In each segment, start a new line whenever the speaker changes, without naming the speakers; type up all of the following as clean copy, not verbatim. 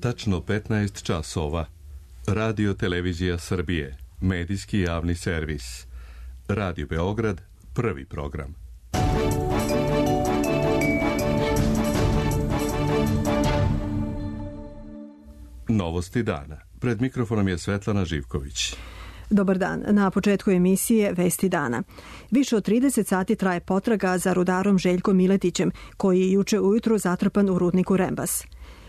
Tačno 15 časova. Radio Televizija Srbije. Medijski javni servis. Radio Beograd. Prvi program. Novosti dana. Pred mikrofonom je Svetlana Živković.
Dobar dan. Na početku emisije Vesti dana. Više od 30 sati traje potraga za rudarom Željkom Miletićem, koji je juče ujutru zatrpan u rudniku Rembas.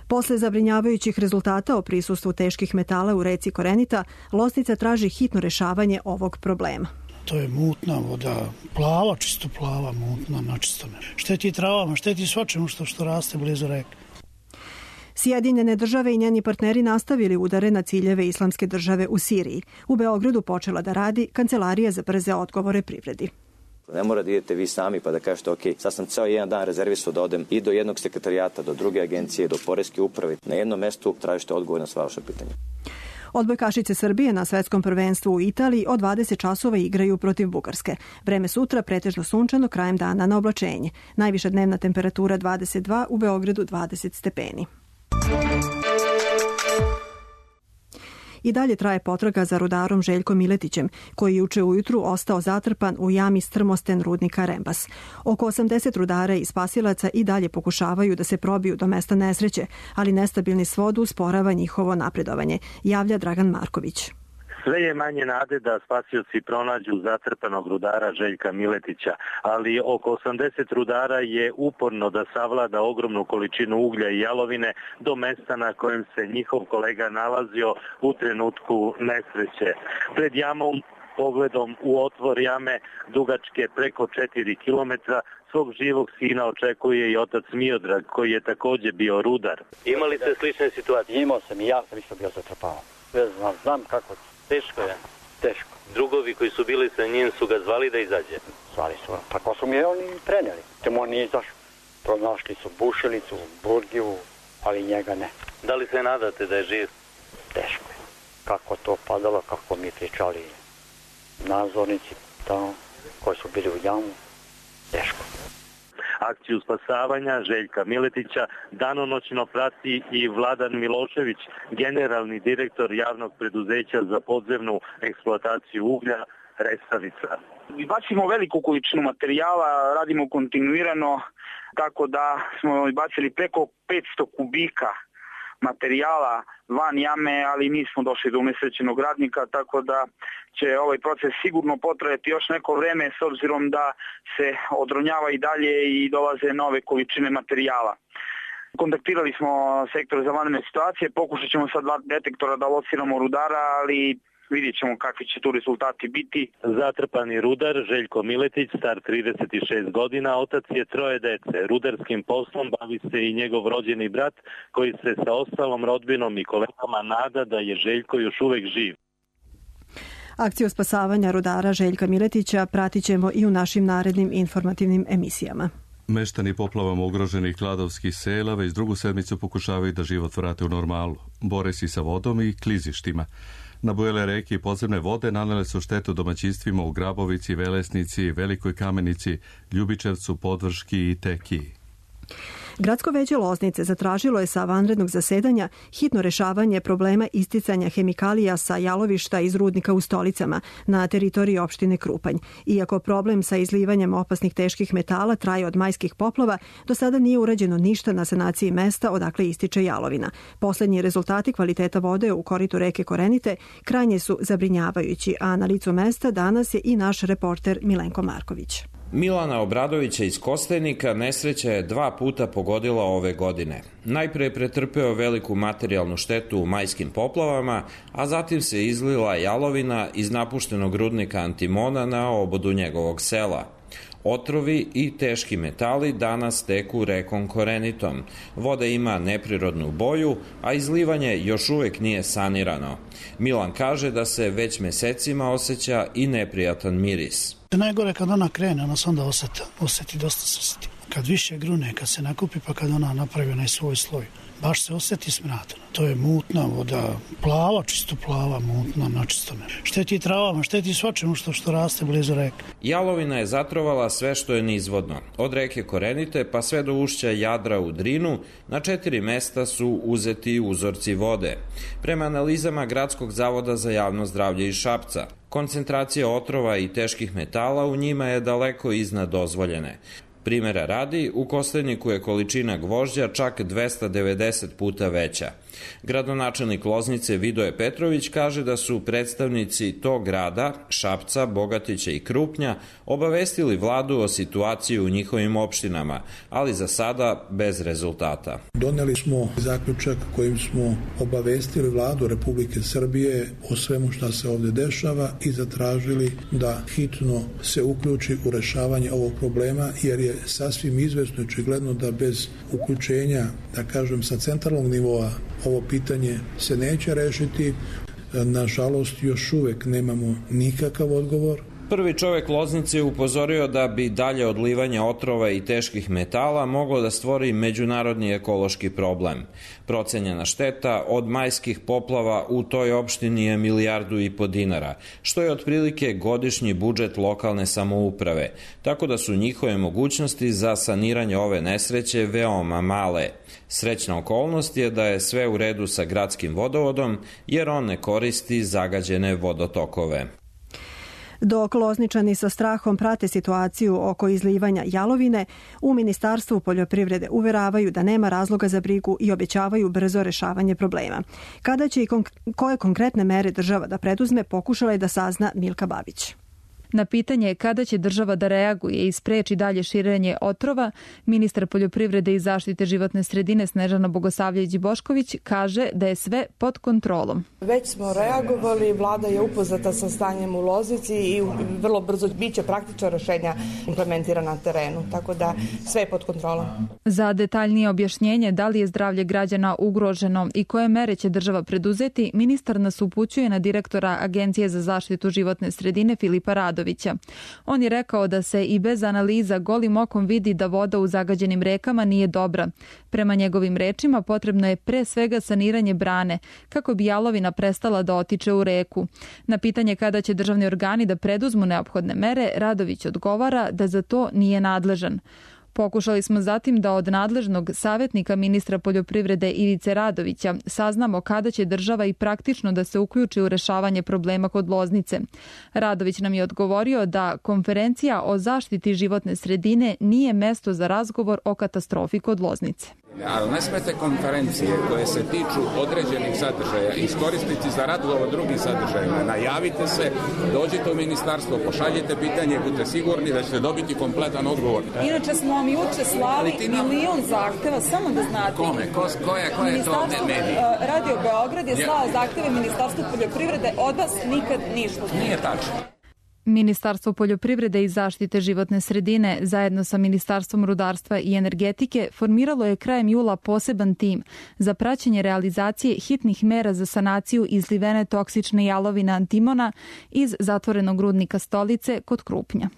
Posle zabrinjavajućih rezultata o prisustvu teških metala u reci Korenita, Loznica traži hitno rešavanje ovog problema.
To je mutna voda, plava, čisto plava, mutna, načistana. Šteti travama, šteti svačemu što raste blizu reke.
Sjedinjene države i njeni partneri nastavili udare na ciljeve Islamske države u Siriji. U Beogradu počela da radi Kancelarija za brze odgovore privredi.
Ne mora da idete vi sami pa da kažete ok, sad sam ceo jedan dan rezervisao da odem i do jednog sekretarijata, do druge agencije, do poreske uprave. Na jednom mestu tražite odgovor na sva vaša pitanja.
Odbojkašice Srbije na svetskom prvenstvu u Italiji od 20 časova igraju protiv Bugarske. Vreme sutra pretežno sunčano, krajem dana na oblačenje. Najviša dnevna temperatura 22, u Beogradu 20 stepeni. I dalje traje potraga za rudarom Željkom Miletićem, koji juče ujutru ostao zatrpan u jami strmosten rudnika Rembas. Oko 80 rudara i spasilaca i dalje pokušavaju da se probiju do mesta nesreće, ali nestabilni svod usporava njihovo napredovanje, javlja Dragan Marković.
Sve je manje nade da spasioci pronađu zatrpanog rudara Željka Miletića, ali oko 80 rudara je uporno da savlada ogromnu količinu uglja i jalovine do mesta na kojem se njihov kolega nalazio u trenutku nesreće. Pred jamom, pogledom u otvor jame dugačke preko 4 kilometra, svog živog sina očekuje i otac Miodrag, koji je takođe bio rudar. Imali ste slične situacije?
Imao sam i ja sam isto bio zatrpavan. Znam kako. Teško je. Teško.
Drugovi koji su bili sa njim su ga zvali da izađe.
Zvali su. Tako su mi oni preneli. Temo on nije izašao. Pronašli su Bušilicu, Burgivu, ali njega ne.
Da li se nadate da je živ?
Teško je. Kako to padalo, kako mi pričali nadzornici tamo koji su bili u jamu. Teško.
Akciju spasavanja Željka Miletića danonoćno prati i Vladan Milošević, generalni direktor javnog preduzeća za podzemnu eksploataciju uglja Resavica.
Bacimo veliku količinu materijala, radimo kontinuirano, tako da smo bacili preko 500 kubika materijala van jame, ali nismo došli do unesrećenog radnika, tako da će ovaj proces sigurno potrajati još neko vreme s obzirom da se odronjava i dalje i dolaze nove količine materijala. Kontaktirali smo sektor za vanredne situacije, pokušat ćemo sa 2 detektora da lociramo rudara, ali vidjet ćemo kakvi će tu rezultati biti.
Zatrpani rudar Željko Miletić, star 36 godina, otac je 3 dece. Rudarskim poslom bavi se i njegov rođeni brat, koji se sa ostalom rodbinom i kolegama nada da je Željko još uvek živ.
Akciju spasavanja rudara Željka Miletića pratit ćemo i u našim narednim informativnim emisijama.
Meštani poplavama ugroženih kladovskih sela već drugu sedmicu pokušavaju da život vrate u normalu. Bore se sa vodom i klizištima. Nabujele reke i podzemne vode nanele su štetu domaćinstvima u Grabovici, Velesnici, Velikoj Kamenici, Ljubičevcu, Podvrški i Tekiji.
Gradsko veće Loznice zatražilo je sa vanrednog zasedanja hitno rešavanje problema isticanja hemikalija sa jalovišta iz rudnika u Stolicama na teritoriji opštine Krupanj. Iako problem sa izlivanjem opasnih teških metala traje od majskih poplava, do sada nije urađeno ništa na sanaciji mesta odakle ističe jalovina. Poslednji rezultati kvaliteta vode u koritu reke Korenite krajnje su zabrinjavajući, a na licu mesta danas je i naš reporter Milenko Marković.
Milana Obradovića iz Kostajnika nesreća je 2 puta pogodila ove godine. Najpre je pretrpeo veliku materijalnu štetu u majskim poplavama, a zatim se izlila jalovina iz napuštenog rudnika Antimona na obodu njegovog sela. Otrovi i teški metali danas teku rekom Korenitom. Voda ima neprirodnu boju, a izlivanje još uvek nije sanirano. Milan kaže da se već mesecima osjeća i neprijatan miris.
Najgore kad ona krene, ona se onda oseti, dosta se oseti. Kad više grune, kad se nakupi, pa kad ona napravi onaj svoj sloj baš se osjeti smrad. To je mutna voda, plava, čisto plava, mutna, načistona. Šteti travama, šteti svačemu što raste blizu reke.
Jalovina je zatrovala sve što je nizvodno. Od reke Korenite pa sve do ušća Jadra u Drinu, na 4 mesta su uzeti uzorci vode. Prema analizama Gradskog zavoda za javno zdravlje iz Šapca, koncentracija otrova i teških metala u njima je daleko iznad dozvoljene. Primera radi, u Kostajniku je količina gvožđa čak 290 puta veća. Gradonačelnik Loznice Vidoje Petrović kaže da su predstavnici tog grada, Šapca, Bogatića i Krupnja, obavestili vladu o situaciji u njihovim opštinama, ali za sada bez rezultata.
Doneli smo zaključak kojim smo obavestili vladu Republike Srbije o svemu šta se ovde dešava i zatražili da hitno se uključi u rešavanje ovog problema, jer je sasvim izvesno i očigledno da bez uključenja, da kažem, sa centralnog nivoa ovo pitanje se neće rešiti. Nažalost, još uvek nemamo nikakav odgovor.
Prvi čovek Loznice je upozorio da bi dalje odlivanje otrova i teških metala moglo da stvori međunarodni ekološki problem. Procenjena šteta od majskih poplava u toj opštini je 1,5 milijardu dinara, što je otprilike godišnji budžet lokalne samouprave, tako da su njihove mogućnosti za saniranje ove nesreće veoma male. Srećna okolnost je da je sve u redu sa gradskim vodovodom, jer on ne koristi zagađene vodotokove.
Dok Lozničani sa strahom prate situaciju oko izlivanja jalovine, u Ministarstvu poljoprivrede uveravaju da nema razloga za brigu i obećavaju brzo rešavanje problema. Kada će i koje konkretne mere država da preduzme, pokušala je da sazna Milka Babić.
Na pitanje kada će država da reaguje i spreči dalje širenje otrova, ministar poljoprivrede i zaštite životne sredine Snežana Bogosavljević-Bošković kaže da je sve pod kontrolom.
Već smo reagovali, vlada je upoznata sa stanjem u Loznici i vrlo brzo biće praktično rešenja implementirana na terenu, tako da sve je pod kontrolom.
Za detaljnije objašnjenje da li je zdravlje građana ugroženo i koje mere će država preduzeti, ministar nas upućuje na direktora Agencije za zaštitu životne sredine Filipa Radovića. On je rekao da se i bez analiza golim okom vidi da voda u zagađenim rekama nije dobra. Prema njegovim rečima potrebno je pre svega saniranje brane kako bi jalovina prestala da otiče u reku. Na pitanje kada će državni organi da preduzmu neophodne mere, Radović odgovara da za to nije nadležan. Pokušali smo zatim da od nadležnog savjetnika ministra poljoprivrede Ivice Radovića saznamo kada će država i praktično da se uključi u rešavanje problema kod Loznice. Radović nam je odgovorio da konferencija o zaštiti životne sredine nije mesto za razgovor o katastrofi kod Loznice.
Ali ne smete konferencije koje se tiču određenih sadržaja iskoristiti za razgovor o drugim sadržajima. Najavite se, dođite u ministarstvo, pošaljite pitanje, budite sigurni da ćete dobiti kompletan odgovor.
Inače smo vam juče slali milion zahteva, samo da znate.
Kome? Ko je to medij?
Radio Beograd je slao zahteve Ministarstvu poljoprivrede, od vas nikad ništa.
Nije tačno.
Ministarstvo poljoprivrede i zaštite životne sredine zajedno sa Ministarstvom rudarstva i energetike formiralo je krajem jula poseban tim za praćenje realizacije hitnih mera za sanaciju izlivene toksične jalovine antimona iz zatvorenog rudnika Stolice kod Krupnja.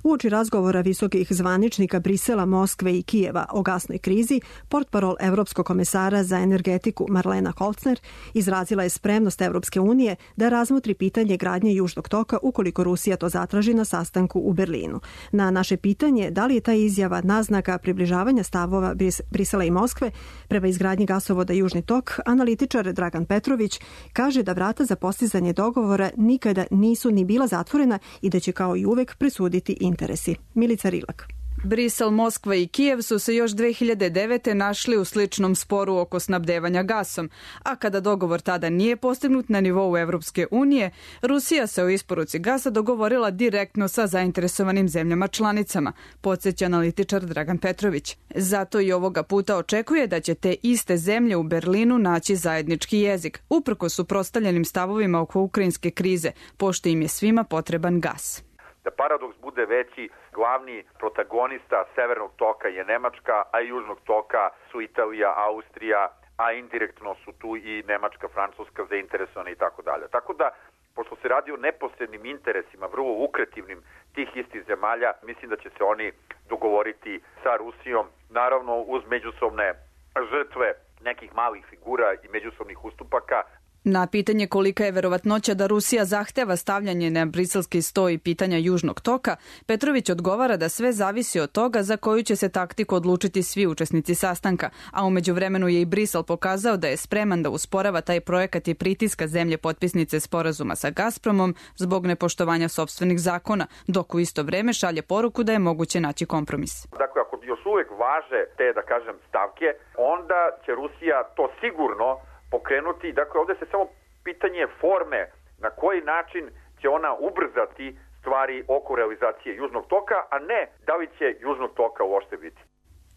Uoči razgovora visokih zvaničnika Brisela, Moskve i Kijeva o gasnoj krizi, portparol Evropskog komesara za energetiku Marlena Holzner izrazila je spremnost Evropske unije da razmotri pitanje gradnje Južnog toka ukoliko Rusija to zatraži na sastanku u Berlinu. Na naše pitanje da li je ta izjava naznaka približavanja stavova Brisela i Moskve prema izgradnji gasovoda Južni tok, analitičar Dragan Petrović kaže da vrata za postizanje dogovora nikada nisu ni bila zatvorena i da će kao i uvek presuditi interesi. Milica Rilak.
Brisel, Moskva i Kijev su se još 2009. našli u sličnom sporu oko snabdevanja gasom, a kada dogovor tada nije postignut na nivou Evropske unije, Rusija se o isporuci gasa dogovorila direktno sa zainteresovanim zemljama članicama, podsjeća analitičar Dragan Petrović. Zato i ovoga puta očekuje da će te iste zemlje u Berlinu naći zajednički jezik, uprkos suprotstavljenim stavovima oko ukrajinske krize, pošto im je svima potreban gas.
Da paradoks bude veći, glavni protagonista Severnog toka je Nemačka, a Južnog toka su Italija, Austrija, a indirektno su tu i Nemačka, Francuska zainteresovane i tako dalje. Tako da pošto se radi o neposrednim interesima, vrlo lukrativnim tih istih zemalja, mislim da će se oni dogovoriti sa Rusijom, naravno uz međusobne žrtve nekih malih figura i međusobnih ustupaka.
Na pitanje kolika je verovatnoća da Rusija zahteva stavljanje na briselski sto i pitanja Južnog toka, Petrović odgovara da sve zavisi od toga za koju će se taktiku odlučiti svi učesnici sastanka, a u međuvremenu je i Brisel pokazao da je spreman da usporava taj projekat i pritiska zemlje potpisnice sporazuma sa Gazpromom zbog nepoštovanja sopstvenih zakona, dok u isto vreme šalje poruku da je moguće naći kompromis.
Dakle, ako još uvek važe te, da kažem, stavke, onda će Rusija to sigurno pokrenuti. Dakle, ovdje se samo pitanje forme na koji način će ona ubrzati stvari oko realizacije Južnog toka, a ne da li će Južnog toka uopšte biti.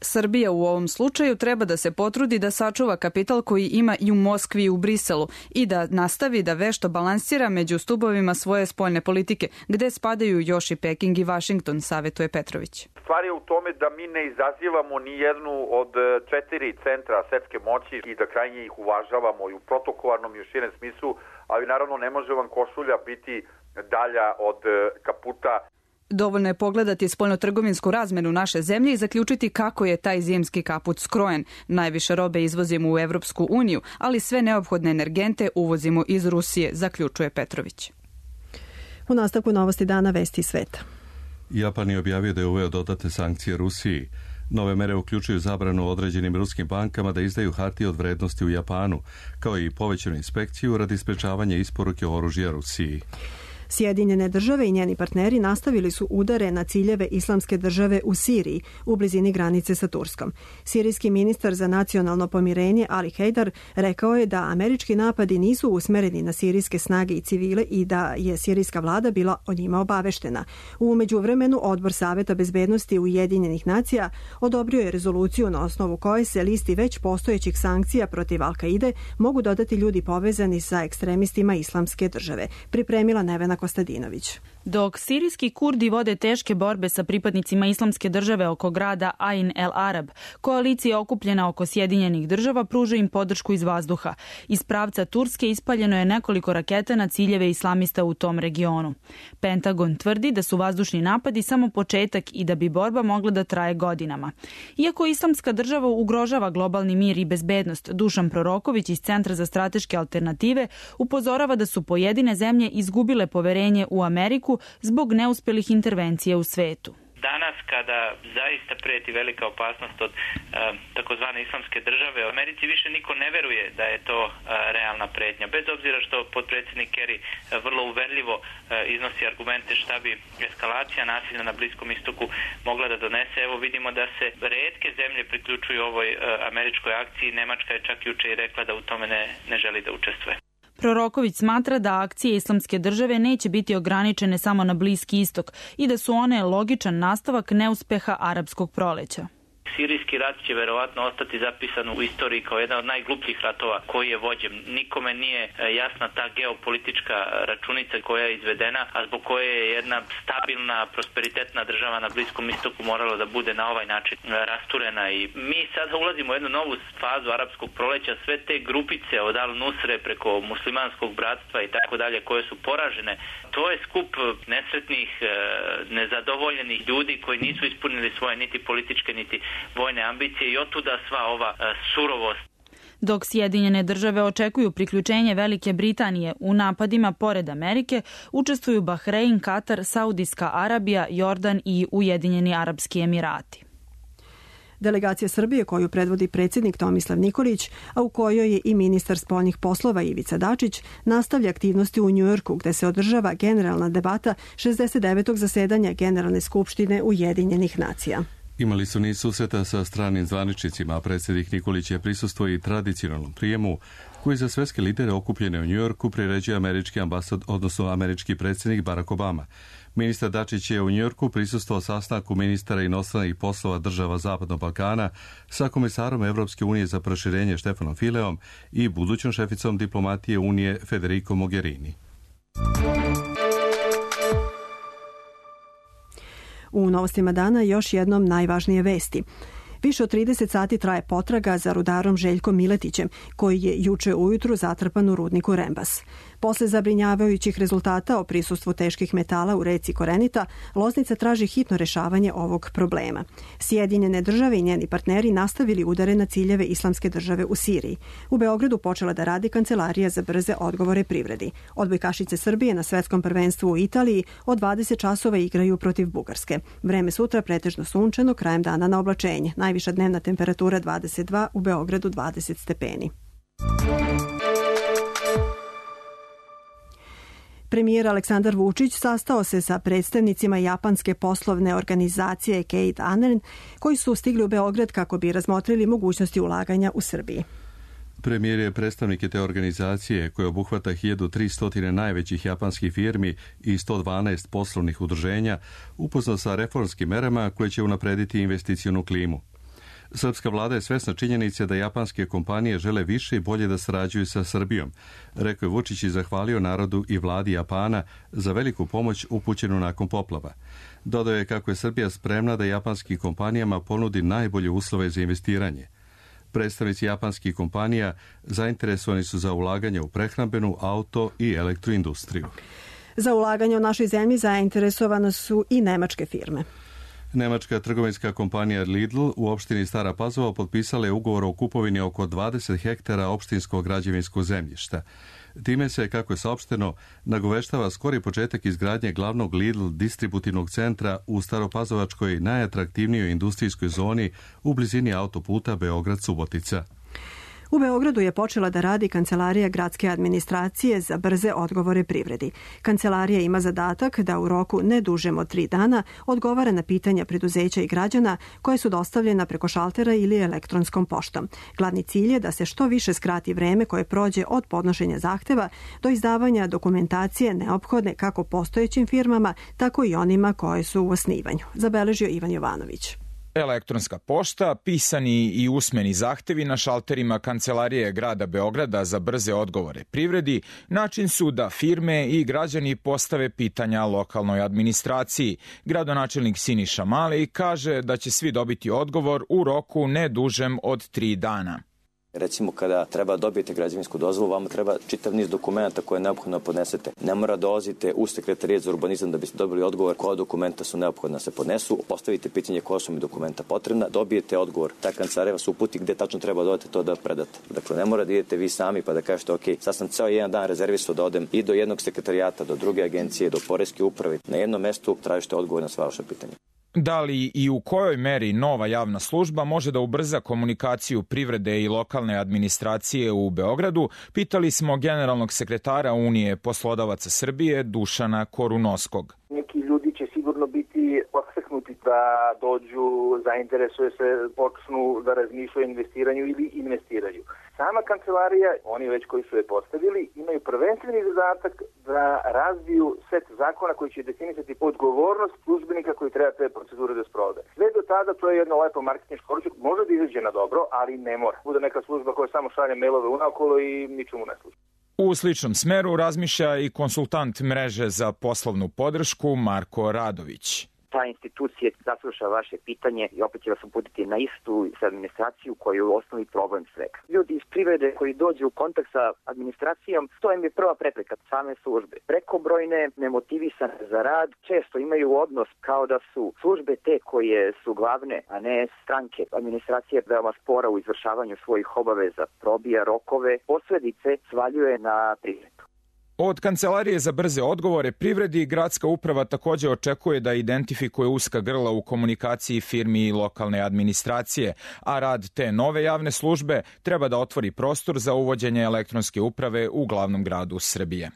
Srbija u ovom slučaju treba da se potrudi da sačuva kapital koji ima i u Moskvi i u Briselu i da nastavi da vešto balansira među stubovima svoje spoljne politike, gde spadaju još i Peking i Vašington, savetuje Petrović.
Stvar je u tome da mi ne izazivamo ni jednu od 4 centra svetske moći i da krajnje ih uvažavamo i u protokolarnom i u širem smislu, ali naravno ne može vam košulja biti dalja od kaputa.
Dovoljno je pogledati spoljnotrgovinsku razmenu naše zemlje i zaključiti kako je taj zimski kaput skrojen. Najviše robe izvozimo u Evropsku uniju, ali sve neophodne energente uvozimo iz Rusije, zaključuje Petrović.
U nastavku novosti dana vesti sveta.
Japan je objavio da je uveo dodatne sankcije Rusiji. Nove mere uključuju zabranu određenim ruskim bankama da izdaju hartije od vrednosti u Japanu, kao i povećanu inspekciju radi sprečavanja isporuke oružja Rusiji.
Sjedinjene države i njeni partneri nastavili su udare na ciljeve Islamske države u Siriji, u blizini granice sa Turskom. Sirijski ministar za nacionalno pomirenje Ali Hejdar rekao je da američki napadi nisu usmereni na sirijske snage i civile i da je sirijska vlada bila o njima obaveštena. U međuvremenu Odbor Saveta bezbednosti Ujedinjenih nacija odobrio je rezoluciju na osnovu koje se listi već postojećih sankcija protiv Al-Kaide mogu dodati ljudi povezani sa ekstremistima Islamske države. Pripremila Nevena Kostadinović.
Dok sirijski Kurdi vode teške borbe sa pripadnicima Islamske države oko grada Ain el Arab, koalicija okupljena oko Sjedinjenih država pruža im podršku iz vazduha. Iz pravca Turske ispaljeno je nekoliko raketa na ciljeve islamista u tom regionu. Pentagon tvrdi da su vazdušni napadi samo početak i da bi borba mogla da traje godinama. Iako Islamska država ugrožava globalni mir i bezbednost, Dušan Proroković iz Centra za strateške alternative upozorava da su pojedine zemlje izgubile poverenje u Ameriku zbog neuspelih intervencija u svetu.
Danas kada zaista prijeti velika opasnost od takozvane islamske države, u Americi više niko ne veruje da je to realna pretnja. Bez obzira što potpredsjednik Kerry vrlo uverljivo iznosi argumente šta bi eskalacija nasilja na Bliskom istoku mogla da donese. Evo vidimo da se retke zemlje priključuju ovoj američkoj akciji. Nemačka je čak juče i rekla da u tome ne želi da učestvuje.
Proroković smatra da akcije Islamske države neće biti ograničene samo na Bliski istok i da su one logičan nastavak neuspeha arapskog proleća.
Sirijski rat će verovatno ostati zapisan u istoriji kao jedan od najglupljih ratova koji je vođen. Nikome nije jasna ta geopolitička računica koja je izvedena, a zbog koje je jedna stabilna, prosperitetna država na Bliskom istoku morala da bude na ovaj način rasturena. I mi sada ulazimo u jednu novu fazu arapskog proleća. Sve te grupice od Al-Nusre preko muslimanskog bratstva i tako dalje koje su poražene, to je skup nesretnih, nezadovoljenih ljudi koji nisu ispunili svoje niti političke niti vojne ambicije i otuda sva ova surovost.
Dok Sjedinjene države očekuju priključenje Velike Britanije, u napadima pored Amerike učestvuju Bahrein, Katar, Saudijska Arabija, Jordan i Ujedinjeni Arapski Emirati.
Delegacija Srbije koju predvodi predsjednik Tomislav Nikolić, a u kojoj je i ministar spoljnih poslova Ivica Dačić, nastavlja aktivnosti u Njujorku gde se održava generalna debata 69. zasedanja Generalne skupštine Ujedinjenih nacija.
Imali su niz susreta sa stranim zvaničnicima, a predsjednik Nikolić je prisustvovao i tradicionalnom prijemu koji za svetske lidere okupljene u Njujorku priređuje američki ambasad, odnosno američki predsjednik Barack Obama. Ministar Dačić je u Njujorku prisustvovao sastanku ministara inostranih poslova država Zapadnog Balkana sa komesarom Evropske unije za proširenje Štefanom Fileom i budućom šeficom diplomatije Unije Federico Mogherini.
U novostima dana još jednom najvažnije vesti. Više od 30 sati traje potraga za rudarom Željkom Miletićem, koji je juče ujutru zatrpan u rudniku Rembas. Posle zabrinjavajućih rezultata o prisustvu teških metala u reci Korenita, Loznica traži hitno rešavanje ovog problema. Sjedinjene države i njeni partneri nastavili udare na ciljeve Islamske države u Siriji. U Beogradu počela da radi Kancelarija za brze odgovore privredi. Odbojkašice Srbije na svetskom prvenstvu u Italiji od 20 časova igraju protiv Bugarske. Vreme sutra pretežno sunčano, krajem dana na oblačenje. Najviša dnevna temperatura 22, u Beogradu 20 stepeni. Premijer Aleksandar Vučić sastao se sa predstavnicima japanske poslovne organizacije Kate Anen, koji su stigli u Beograd kako bi razmotrili mogućnosti ulaganja u Srbiji.
Premijer je predstavnike te organizacije, koje obuhvata 1300 najvećih japanskih firmi i 112 poslovnih udruženja, upoznao sa reformskim merama koje će unaprediti investicionu klimu. Srpska vlada je svesna činjenice da japanske kompanije žele više i bolje da sarađuju sa Srbijom, rekao je Vučić i zahvalio narodu i vladi Japana za veliku pomoć upućenu nakon poplava. Dodao je kako je Srbija spremna da japanskim kompanijama ponudi najbolje uslove za investiranje. Predstavnici japanskih kompanija zainteresovani su za ulaganje u prehrambenu, auto i elektroindustriju.
Za ulaganje u našoj zemlji zainteresovane su i nemačke firme.
Nemačka trgovinska kompanija Lidl u opštini Stara Pazova potpisala je ugovor o kupovini oko 20 hektara opštinskog građevinskog zemljišta. Time se, kako je saopšteno, nagoveštava skori početak izgradnje glavnog Lidl distributivnog centra u Staropazovačkoj najatraktivnijoj industrijskoj zoni u blizini autoputa Beograd-Subotica.
U Beogradu je počela da radi Kancelarija gradske administracije za brze odgovore privredi. Kancelarija ima zadatak da u roku ne dužem od 3 dana odgovara na pitanja preduzeća i građana koje su dostavljena preko šaltera ili elektronskom poštom. Glavni cilj je da se što više skrati vreme koje prođe od podnošenja zahteva do izdavanja dokumentacije neophodne kako postojećim firmama, tako i onima koje su u osnivanju. Zabeležio Ivan Jovanović.
Elektronska pošta, pisani i usmeni zahtevi na šalterima Kancelarije grada Beograda za brze odgovore privredi način su da firme i građani postave pitanja lokalnoj administraciji. Gradonačelnik Siniša Mali kaže da će svi dobiti odgovor u roku ne dužem od 3 dana.
Recimo, kada treba dobijete građevinsku dozvolu, vama treba čitav niz dokumenta koje neophodno podnesete. Ne mora dolazite u Sekretarijat za urbanizam da biste dobili odgovor koja dokumenta su neophodna da se podnesu. Postavite pitanje koja su mi dokumenta potrebna, dobijete odgovor. Ta kancelarija vas uputi gde tačno treba dodati to da predate. Dakle, ne mora da idete vi sami pa da kažete ok, sad sam ceo jedan dan rezervisao da odem i do jednog sekretarijata, do druge agencije, do poreske uprave. Na jednom mestu tražite odgovor na sva vaša pitanja.
Da li i u kojoj meri nova javna služba može da ubrza komunikaciju privrede i lokalne administracije u Beogradu, pitali smo generalnog sekretara Unije poslodavaca Srbije Dušana Korunoskog.
Neki ljudi će sigurno biti podstaknuti da dođu, zainteresuje se, počnu da razmišljaju o investiranju ili investiraju. Sama kancelarija, oni već koji su je postavili, imaju prvenstveni zadatak da razviju set zakona koji će definisati odgovornost službenika koji treba te procedure da sprovode. Sve do tada to je jedno lepo marketinško oruđe, može da izađe na dobro, ali ne mora. Bude neka služba koja samo šalje mailove unaokolo i ničemu ne služi.
U sličnom smeru razmišlja i konsultant mreže za poslovnu podršku Marko Radović.
Ta institucija zasluša vaše pitanje i opet će vas uputiti na istu administraciju koju je u osnovi problem svega. Ljudi iz privrede koji dođu u kontakt sa administracijom, to im je prva prepreka same službe. Prekobrojne, nemotivisane za rad, često imaju odnos kao da su službe te koje su glavne, a ne stranke. Administracija je veoma spora u izvršavanju svojih obaveza, probija rokove, posledice svaljuje na privredu.
Od Kancelarije za brze odgovore privredi gradska uprava takođe očekuje da identifikuje uska grla u komunikaciji firmi i lokalne administracije, a rad te nove javne službe treba da otvori prostor za uvođenje elektronske uprave u glavnom gradu Srbije.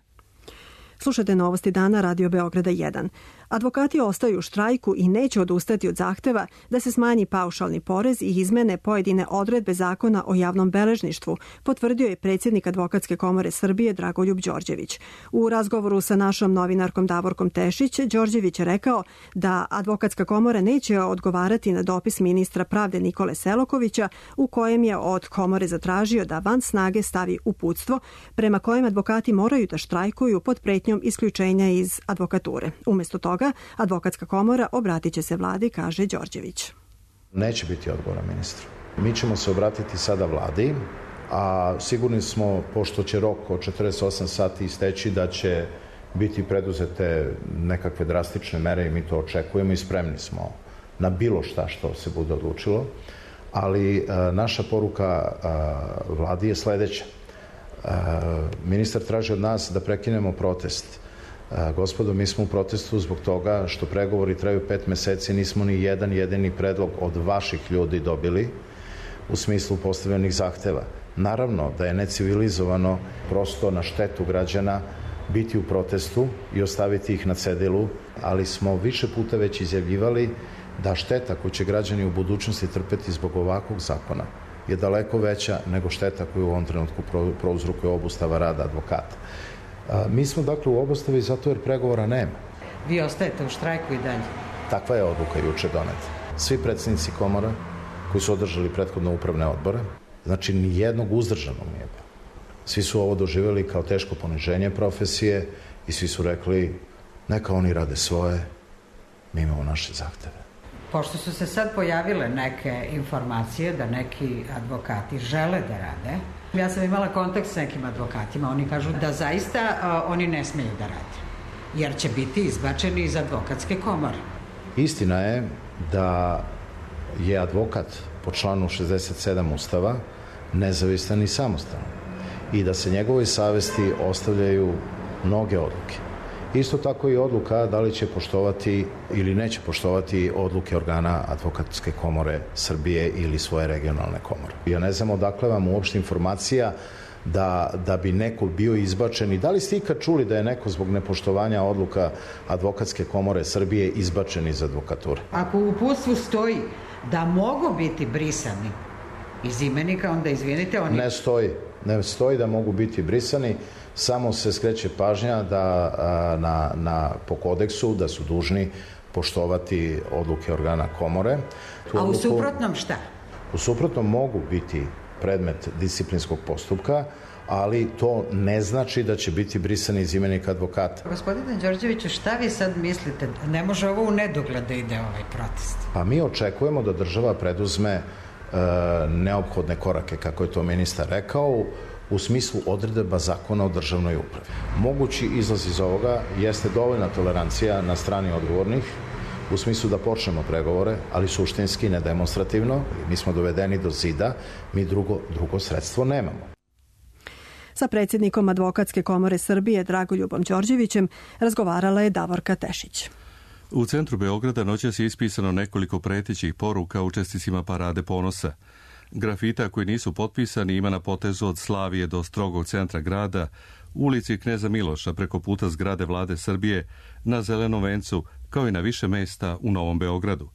Slušajte novosti dana Radio Beograda 1. Advokati ostaju u štrajku i neće odustati od zahteva da se smanji paušalni porez i izmene pojedine odredbe zakona o javnom beležništvu, potvrdio je predsjednik Advokatske komore Srbije Dragoljub Đorđević. U razgovoru sa našom novinarkom Davorkom Tešić, Đorđević je rekao da Advokatska komora neće odgovarati na dopis ministra pravde Nikole Selakovića u kojem je od komore zatražio da van snage stavi uputstvo prema kojem advokati moraju da štrajkuju pod pretnjom isključenja iz advokature. Umesto toga, Advokatska komora obratit će se vladi, kaže Đorđević.
Neće biti odgovora ministru. Mi ćemo se obratiti sada vladi a sigurni smo, pošto će rok od 48 sati isteći, da će biti preduzete nekakve drastične mere i mi to očekujemo i spremni smo na bilo šta što se bude odlučilo, ali naša poruka vladi je sledeća. Ministar traži od nas da prekinemo protest. Gospodo, mi smo u protestu zbog toga što pregovori traju 5 meseci, nismo ni jedan jedini predlog od vaših ljudi dobili u smislu postavljenih zahteva. Naravno da je necivilizovano prosto na štetu građana biti u protestu i ostaviti ih na cedilu, ali smo više puta već izjavljivali da šteta koju će građani u budućnosti trpeti zbog ovakvog zakona je daleko veća nego šteta koju u ovom trenutku prouzrokuje obustava rada advokata. Mi smo dakle u obustavi zato jer pregovora nema.
Vi ostajete u štrajku i dalje?
Takva je odluka juče doneta. Svi predsednici komora koji su održali prethodno upravne odbore, znači ni jednog uzdržanog nije bilo. Svi su ovo doživjeli kao teško poniženje profesije i svi su rekli neka oni rade svoje, mi imamo naše zahteve.
Pošto su se sad pojavile neke informacije da neki advokati žele da rade, ja sam imala kontakt s nekim advokatima, oni kažu da zaista oni ne smeju da rade, jer će biti izbačeni iz advokatske komore.
Istina je da je advokat po članu 67 Ustava nezavistan i samostalan i da se njegovoj savesti ostavljaju mnoge odluke. Isto tako i odluka da li će poštovati ili neće poštovati odluke organa Advokatske komore Srbije ili svoje regionalne komore. Ja ne znam odakle vam uopšte informacija da bi neko bio izbačen i da li ste ikad čuli da je neko zbog nepoštovanja odluka Advokatske komore Srbije izbačen iz advokature?
Ako u uputstvu stoji da mogu biti brisani iz imenika, onda izvinite, oni...
Ne stoji da mogu biti brisani, samo se skreće pažnja da po kodeksu da su dužni poštovati odluke organa komore.
A u suprotnom šta?
U suprotnom mogu biti predmet disciplinskog postupka, ali to ne znači da će biti brisani iz imenika advokata.
Gospodine Đorđeviću, šta vi sad mislite? Ne može ovo u nedogled da ide ovaj protest?
Pa mi očekujemo da država preduzme neophodne korake, kako je to ministar rekao, u smislu odredaba zakona o državnoj upravi. Mogući izlaz iz ovoga jeste dovoljna tolerancija na strani odgovornih, u smislu da počnemo pregovore, ali suštinski, ne demonstrativno. Mi smo dovedeni do zida, mi drugo sredstvo nemamo.
Sa predsjednikom Advokatske komore Srbije Dragoljubom Đorđevićem razgovarala je Davorka Tešić.
U centru Beograda noćas je ispisano nekoliko pretećih poruka učesnicima Parade ponosa. Grafita koji nisu potpisani ima na potezu od Slavije do strogog centra grada, ulici Kneza Miloša preko puta zgrade Vlade Srbije, na Zelenom vencu, kao i na više mesta u Novom Beogradu.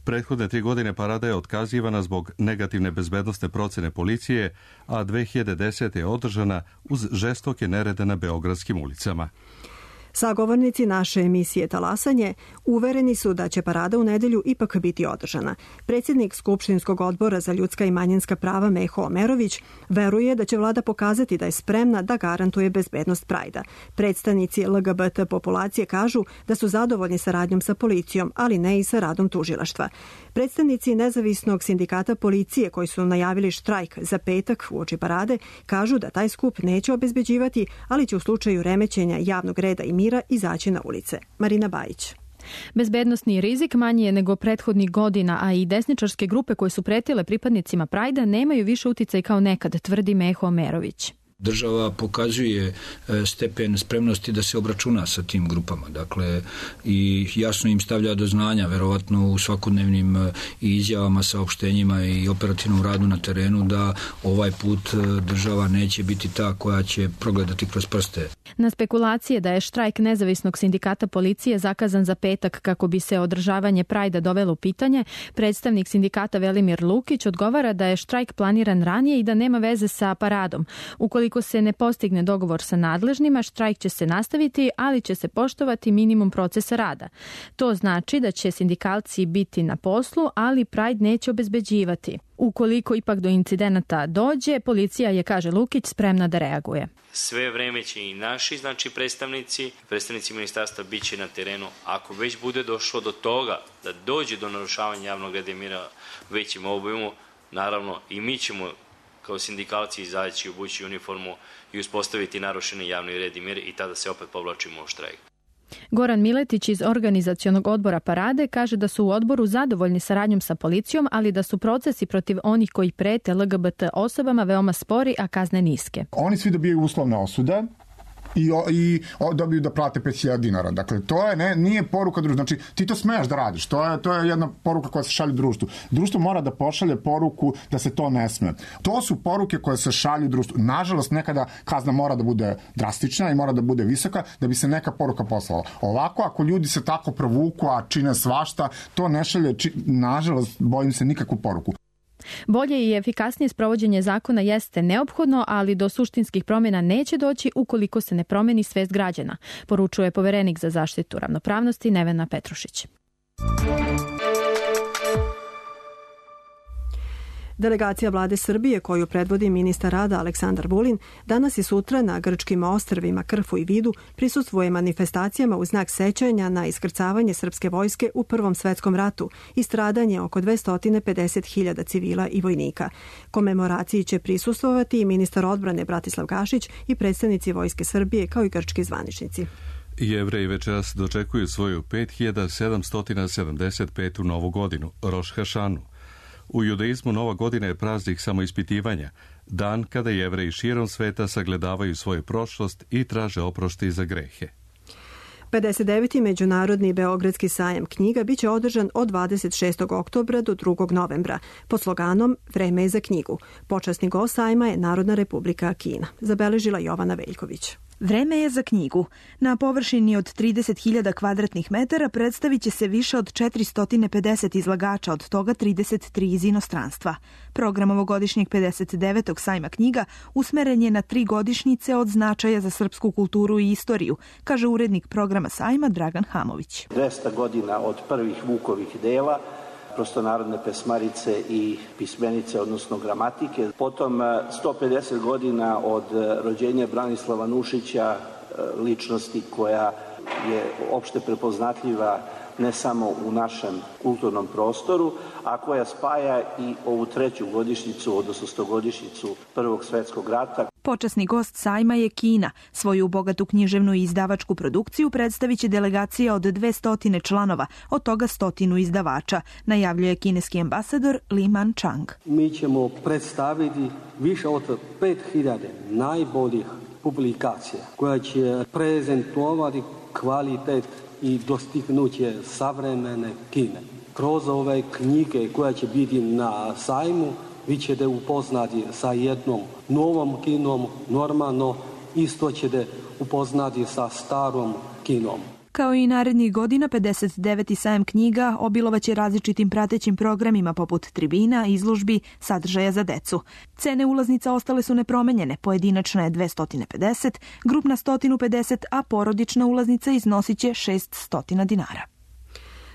Prethodne 3 godine parada je otkazivana zbog negativne bezbednosne procene policije, a 2010. je održana uz žestoke nerede na beogradskim ulicama.
Sagovornici naše emisije Talasanje uvereni su da će parada u nedelju ipak biti održana. Predsjednik Skupštinskog odbora za ljudska i manjinska prava Meho Omerović veruje da će vlada pokazati da je spremna da garantuje bezbednost Prajda. Predstavnici LGBT populacije kažu da su zadovoljni saradnjom sa policijom, ali ne i sa radom tužilaštva. Predstavnici nezavisnog sindikata policije koji su najavili štrajk za petak uoči parade kažu da taj skup neće obezbeđivati, ali će u slučaju remećenja javnog reda i mira izaći na ulice. Marina Bajić.
Bezbednosni rizik manji je nego prethodnih godina, a i desničarske grupe koje su pretile pripadnicima Prajda nemaju više uticaj kao nekad, tvrdi Meho Omerović.
Država pokazuje stepen spremnosti da se obračuna sa tim grupama, dakle, i jasno im stavlja do znanja, verovatno u svakodnevnim izjavama, saopštenjima i operativnom radu na terenu, da ovaj put država neće biti ta koja će progledati kroz prste.
Na spekulacije da je štrajk nezavisnog sindikata policije zakazan za petak kako bi se održavanje Prajda dovelo u pitanje, predstavnik sindikata Velimir Lukić odgovara da je štrajk planiran ranije i da nema veze sa paradom. Ukoliko se ne postigne dogovor sa nadležnima, štrajk će se nastaviti, ali će se poštovati minimum procesa rada. To znači da će sindikalci biti na poslu, ali Pride neće obezbeđivati. Ukoliko ipak do incidenata dođe, policija je, kaže Lukić, spremna da reaguje.
Sve vreme će i naši, predstavnici ministarstva bit će na terenu. Ako već bude došlo do toga da dođe do narušavanja javnog reda i mira većim obimu, naravno i mi ćemo kao sindikalci izaći, obući uniformu i uspostaviti narušeni javni red i mir i tada se opet povlačimo u štrajk.
Goran Miletić iz organizacionog odbora Parade kaže da su u odboru zadovoljni saradnjom sa policijom, ali da su procesi protiv onih koji prete LGBT osobama veoma spori, a kazne niske.
Oni svi dobijaju uslovne osude i dobiju da plate 5.000 dinara. Dakle, to je, nije poruka društva. Znači, ti to smeš da radiš. To je jedna poruka koja se šalje društvu. Društvo mora da pošalje poruku da se to ne sme. To su poruke koje se šalju društvu. Nažalost, nekada kazna mora da bude drastična i mora da bude visoka da bi se neka poruka poslala. Ovako, ako ljudi se tako provuku, a čine svašta, to ne šalje, nažalost, bojim se, nikakvu poruku.
Bolje i efikasnije sprovođenje zakona jeste neophodno, ali do suštinskih promjena neće doći ukoliko se ne promeni svest građana, poručuje poverenik za zaštitu ravnopravnosti Nevena Petrušić.
Delegacija vlade Srbije, koju predvodi ministar rada Aleksandar Vulin, danas i sutra na grčkim ostrvima Krfu i Vidu prisustvuje manifestacijama u znak sećanja na iskrcavanje srpske vojske u Prvom svetskom ratu i stradanje oko 250.000 civila i vojnika. Komemoraciji će prisustvovati i ministar odbrane Bratislav Gašić i predstavnici Vojske Srbije kao i grčki zvaničnici.
Jevreji večeras dočekuju svoju 5775. novu godinu, Roš Hašanu. U judaizmu Nova godina je praznik samoispitivanja, dan kada Jevreji širom sveta sagledavaju svoju prošlost i traže oproštaj za grehe.
59. Međunarodni Beogradski sajam knjiga biće održan od 26. oktobra do 2. novembra pod sloganom Vreme je za knjigu. Počasni gost sajma je Narodna republika Kina, zabeležila Jovana Veljković.
Vreme je za knjigu. Na površini od 30.000 kvadratnih metara predstavit će se više od 450 izlagača, od toga 33 iz inostranstva. Program ovogodišnjeg 59. sajma knjiga usmeren je na 3 godišnjice od značaja za srpsku kulturu i istoriju, kaže urednik programa sajma Dragan Hamović.
200 godina od prvih Vukovih dela, prostonarodne pesmarice i pismenice, odnosno gramatike. Potom 150 godina od rođenja Branislava Nušića, ličnosti koja je opšte prepoznatljiva ne samo u našem kulturnom prostoru, a koja spaja i ovu 3. godišnjicu, odnosno 100-godišnjicu Prvog svjetskog rata.
Počasni gost sajma je Kina. Svoju bogatu književnu i izdavačku produkciju predstavit će delegacija od 200 članova, od toga 100 izdavača, najavljuje kineski ambasador Li Man-chang.
Mi ćemo predstaviti više od 5000 najboljih publikacija koja će prezentovati kvalitet i dostignuće savremene Kine. Kroz ove knjige koja će biti na sajmu, vi ćete upoznati sa jednom novom Kinom, normalno isto ćete upoznati sa starom Kinom.
Kao i narednih godina, 59. sajam knjiga obilovaće različitim pratećim programima poput tribina, izložbi, sadržaja za decu. Cene ulaznica ostale su nepromenjene, pojedinačna je 250, grupna 150, a porodična ulaznica iznosit će 600 dinara.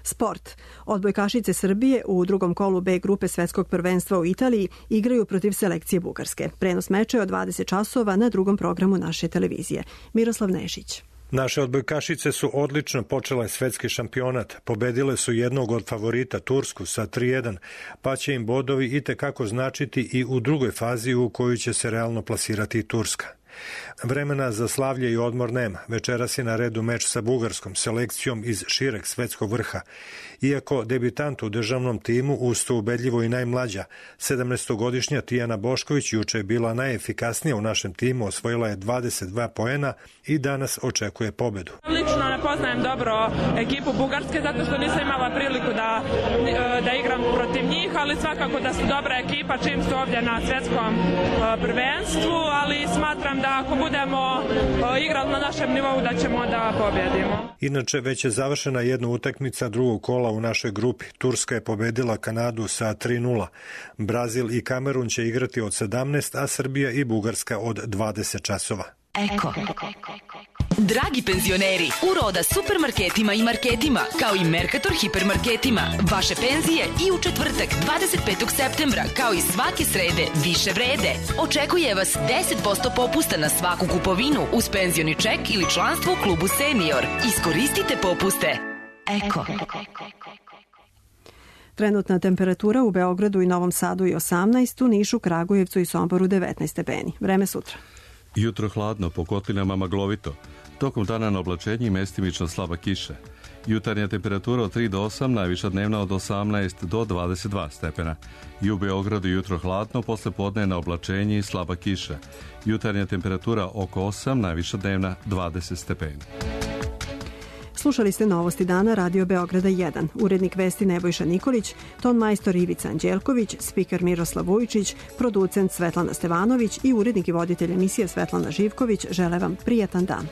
Sport. Odbojkašice Srbije u drugom kolu B grupe svetskog prvenstva u Italiji igraju protiv selekcije Bugarske. Prenos meča je od 20 časova na drugom programu naše televizije. Miroslav Nešić.
Naše odbojkašice su odlično počele svetski šampionat. Pobedile su jednog od favorita Tursku sa 3:1, pa će im bodovi itekako značiti i u drugoj fazi u koju će se realno plasirati i Turska. Vremena za slavlje i odmor nema. Večeras je na redu meč sa bugarskom selekcijom iz šireg svetskog vrha. Iako debitant u državnom timu, uz to ubedljivo i najmlađa, 17-godišnja Tijana Bošković juče je bila najefikasnija u našem timu, osvojila je 22 poena i danas očekuje pobedu.
Lično ne poznajem dobro ekipu Bugarske zato što nisam imala priliku da igram protiv njih, ali svakako da su dobra ekipa čim su ovdje na svjetskom prvenstvu, ali smatram da ako budemo igrali na našem nivou da ćemo da pobjedimo.
Inače, već je završena jedna utakmica drugog kola u našoj grupi. Turska je pobedila Kanadu sa 3:0. Brazil i Kamerun će igrati od 17, a Srbija i Bugarska od 20 časova.
Eko. Dragi penzioneri, u Roda supermarketima i marketima, kao i Mercator hipermarketima, vaše penzije i u četvrtak 25. septembra, kao i svake srede, više vrede. Očekuje vas 10% popusta na svaku kupovinu uz penzioni ček ili članstvo u klubu Senior. Iskoristite popuste. Eko.
Trenutna temperatura u Beogradu i Novom Sadu je 18, u Nišu, Kragujevcu i Somboru 19 stepeni. Vreme sutra.
Jutro hladno, po kotlinama maglovito. Tokom dana na oblačenje i mestimično slaba kiša. Jutarnja temperatura od 3 do 8, najviša dnevna od 18 do 22 stepena. I u Beogradu jutro hladno, posle podne na oblačenje i slaba kiša. Jutarnja temperatura oko 8, najviša dnevna 20 stepeni.
Slušali ste Novosti dana Radio Beograda 1. Urednik vesti Nebojša Nikolić, ton majstor Ivica Anđelković, spiker Miroslav Vujčić, producent Svetlana Stevanović i urednik i voditelj emisije Svetlana Živković žele vam prijatan dan.